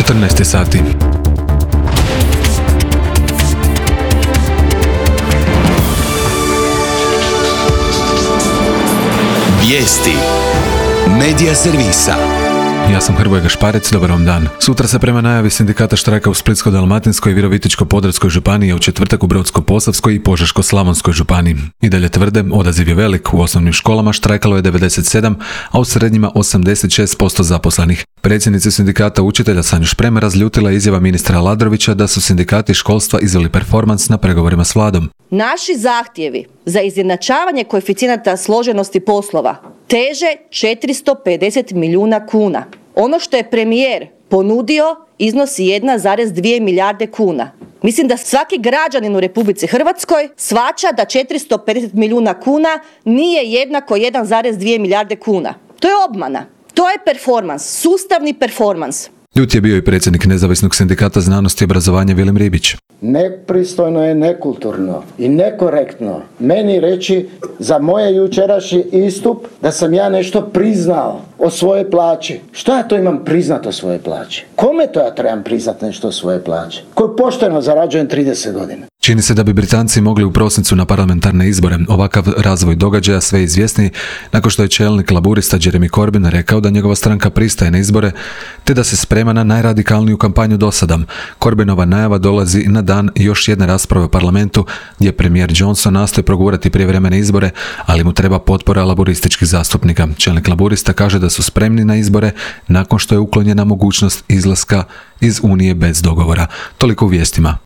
14 sati. Vijesti Medija servisa. Ja sam Hrvoje Gašparec, dobar vam dan. Sutra se prema najavi sindikata štrajka u Splitsko-dalmatinskoj i Virovitičko-podravskoj županiji, a u četvrtak u Brodsko-posavskoj i Požeško-slavonskoj županiji. I dalje tvrde, odaziv je velik, u osnovnim školama štrajkalo je 97, a u srednjima 86% zaposlenih. Predsjednica sindikata učitelja Sanju Šprem razljutila izjava ministra Aladrovića da su sindikati školstva izveli performans na pregovorima s vladom. Naši zahtjevi za izjednačavanje koeficijenata složenosti poslova teže 450 milijuna kuna. Ono što je premijer ponudio iznosi 1,2 milijarde kuna. Mislim da svaki građanin u Republici Hrvatskoj shvaća da 450 milijuna kuna nije jednako 1,2 milijarde kuna. To je obmana. To je performans, sustavni performans. Ljut je bio i predsjednik Nezavisnog sindikata znanosti i obrazovanja Vilim Ribić. Nepristojno je, nekulturno i nekorektno meni reći za moje jučerašnji istup da sam ja nešto priznao o svojoj plaći. Što ja to imam priznat o svojoj plaći? Kome to ja trebam priznat nešto o svojoj plaći? Koju pošteno zarađujem 30 godina. Čini se da bi Britanci mogli u prosincu na parlamentarne izbore. Ovakav razvoj događaja sve izvjesniji nakon što je čelnik laburista Jeremy Corbyn rekao da njegova stranka pristaje na izbore te da se sprema na najradikalniju kampanju dosada. Corbynova najava dolazi na dan još jedne rasprave u parlamentu gdje premijer Johnson nastoji progurati prijevremene izbore, ali mu treba potpora laburističkih zastupnika. Čelnik laburista kaže da su spremni na izbore nakon što je uklonjena mogućnost izlaska iz Unije bez dogovora. Toliko u vijestima.